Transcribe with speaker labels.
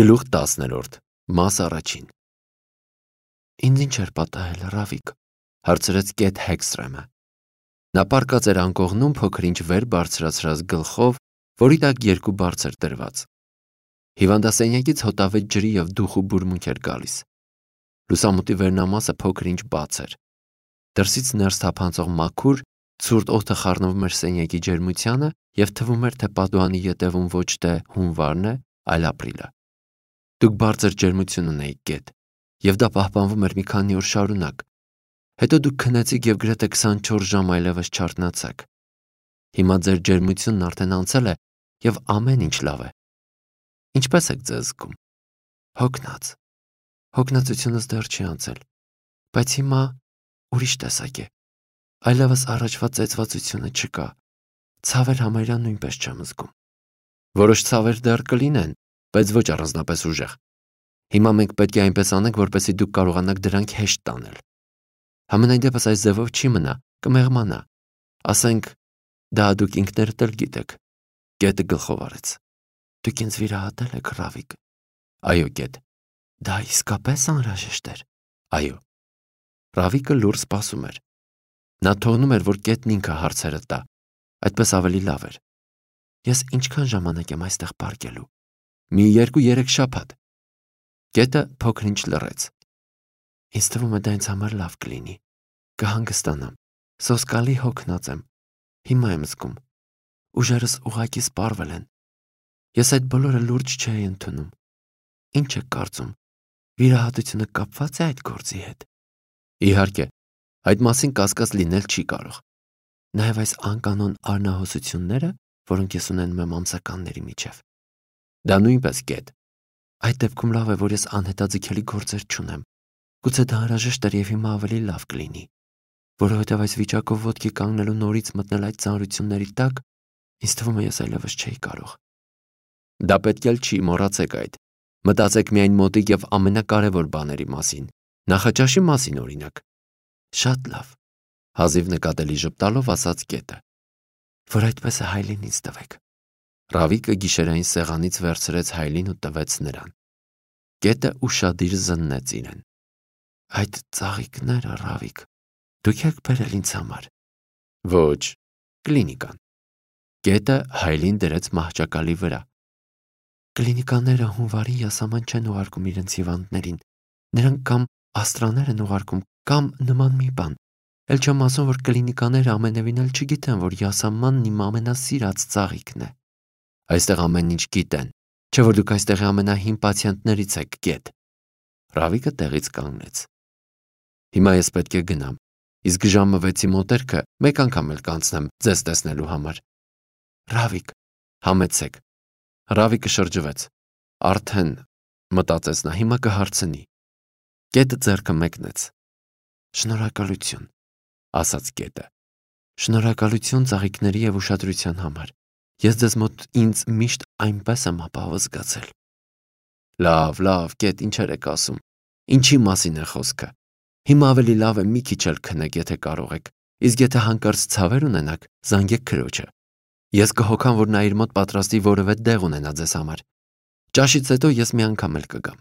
Speaker 1: Գլուխ 10-րդ, մաս առաջին։ Ինձ ինչ էր պատահել, Ռավիկ, հարցրեց Կեթ Հեքսթրեմը։ Նա պառկած էր անկողնում փոքր-ինչ վեր բարձրացրած գլխով, որի տակ երկու բարձ էր դրված։ Հիվանդասենյակից հոտավետ ջրի և դուխու բուրմունք էր գալիս։ Լուսամուտի վերնամասը փոքր-ինչ բաց էր։ Դրսից ներս թափանցող մաքուր, ցուրտ օդը խառնվում էր սենյակի ջերմությանը և թվում էր, թե պատուհանի ետևում ոչ թե հունվարն է, այլ ապրիլը։ Դուք բարձր ջերմություն ունեիք, Կեթ, և դա պահպանվում էր մի քանի օր շարունակ։ Հետո դուք քնեցիք և գրեթե 24 ժամ այլևս չարթնացաք։ Հիմա ձեր ջերմությունն արդեն անցել է և ամեն ինչ լավ է։ Ինչպե՞ս եք ձեզ զգում։ Հոգնած։ Հոգնածությունս դեռ չի անցել, բայց հիմա ուրիշ տեսակ է։ Այլևս առաջվա ծեծվածությունը չկա։ Ցավեր համարյա նույնպես չեմ զգում։ Որոշ ցավեր դեռ կլինեն, բայց ոչ առանձնապես ուժեղ։ Հիմա մենք պետք է այնպես անենք, որպեսզի դուք կարողանաք դրանք հեշտ տանել։ Համենայն դեպս այս ձևով չի մնա, կմեղմանա։ Ասենք, դա դուք ինքներդ էլ գիտեք։ Կետը գլխով արեց։ Դուք ինձ վիրահատել եք, Ռավիկ։ Այո, Կետ։ Դա իսկապես անհրաժեշտ էր։ Այո։ Ռավիկը լուռ սպասում էր։ Նա թողնում էր, որ Կետն ինքը հարցերը տա։ Այդպես ավելի լավ էր։ Ես ինչքան ժամանակ եմ այստեղ պառկելու։ Մի 2-3 շաբաթ։ Կետը փոքր-ինչ լռեց։ Ինձ թվում է դա ինձ համար լավ կլինի։ Կհանգստանամ։ Սոսկալի հոգնած եմ։ Հիմա եմ զգում։ Ուժերս ուղղակի սպառվել են։ Ես այդ բոլորը լուրջ չէի ընդունում։ Ինչ եք կարծում։ Վիրահատությունը կապված է այդ գործի հետ։ Իհարկե, այդ մասին կասկած լինել չի կարող։ Նաև այս անկանոն արնահոսությունները, որոնք ես ունենում եմ ամսականների միջև։ Դա նույնպես, Կետ։ Այդ դեպքում լավ է, որ ես անհետաձգելի գործեր չունեմ։ Գուցե դա անհրաժեշտ էր և հիմա ավելի լավ կլինի, որովհետև այս վիճակով ոտքի կանգնելու նորից մտնել այդ ծանրությունների տակ, ինձ թվում է ես այլևս չէի կարող։ Դա պետք էլ չի, մոռացեք այդ։ Մտածեք միայն մոտիկ և ամենակարևոր բաների մասին, նախաճաշի մասին օրինակ։ Շատ լավ, հազիվ նկատելի ժպտալով ասաց Կետը։ Որ այդպես է, Հայլին ինձ տվեք։ Ռավիկը գիշերային սեղանից վերցրեց Հայլին ու տվեց նրան։ Կետը ուշադիր զննեց իրեն։ Այդ ծաղիկները, Ռավիկ, դուք եք բերել ինձ համար։ Ոչ, կլինիկան։ Կետը Հայլին դրեց մահճակալի վրա։ Կլինիկաները հունվարին յասաման չեն ուղարկում իրենց հիվանդներին։ Նրանք կամ աստրաներ են ուղարկում, կամ նման մի բան։ Էլ չեմ ասում, որ կլինիկաները ամենևին էլ չգիտեն, որ յասամանն իմ ամենասիրած ծաղիկն է։ Այստեղ ամեն ինչ գիտեն, չէ՞ որ դուք այստեղի ամենահին պացիենտներից եք, Կետ։ Ռավիկը տեղից կանգնեց։ Հիմա ես պետք է գնամ, իսկ ժամը 6-ի մոտերքը մեկ անգամ էլ կանցնեմ ձեզ տեսնելու համար։ Ռավիկ, համեցեք։ Ռավիկը շրջվեց։ Արդեն, մտածեց նա, հիմա կհարցնի։ Կետը ձեռքը մեկնեց։ Շնորհակալություն, ասաց Կետը։ Շնորհակալություն ծաղիկների և ուշադրության համար։ Ես ձեզ մոտ ինձ միշտ այնպես եմ ապահով զգացել։ Լավ, Կետ, ինչեր եք ասում։ Ինչի մասին է խոսքը։ Հիմա ավելի լավ է մի քիչ էլ քնեք, եթե կարող եք, իսկ եթե հանկարծ ցավեր ունենաք, զանգեք քրոջը։ Ես կհոգամ, որ նա իր մոտ պատրաստի որևէ դեղ ունենա ձեզ համար։ Ճաշից հետո ես մի անգամ էլ կգամ։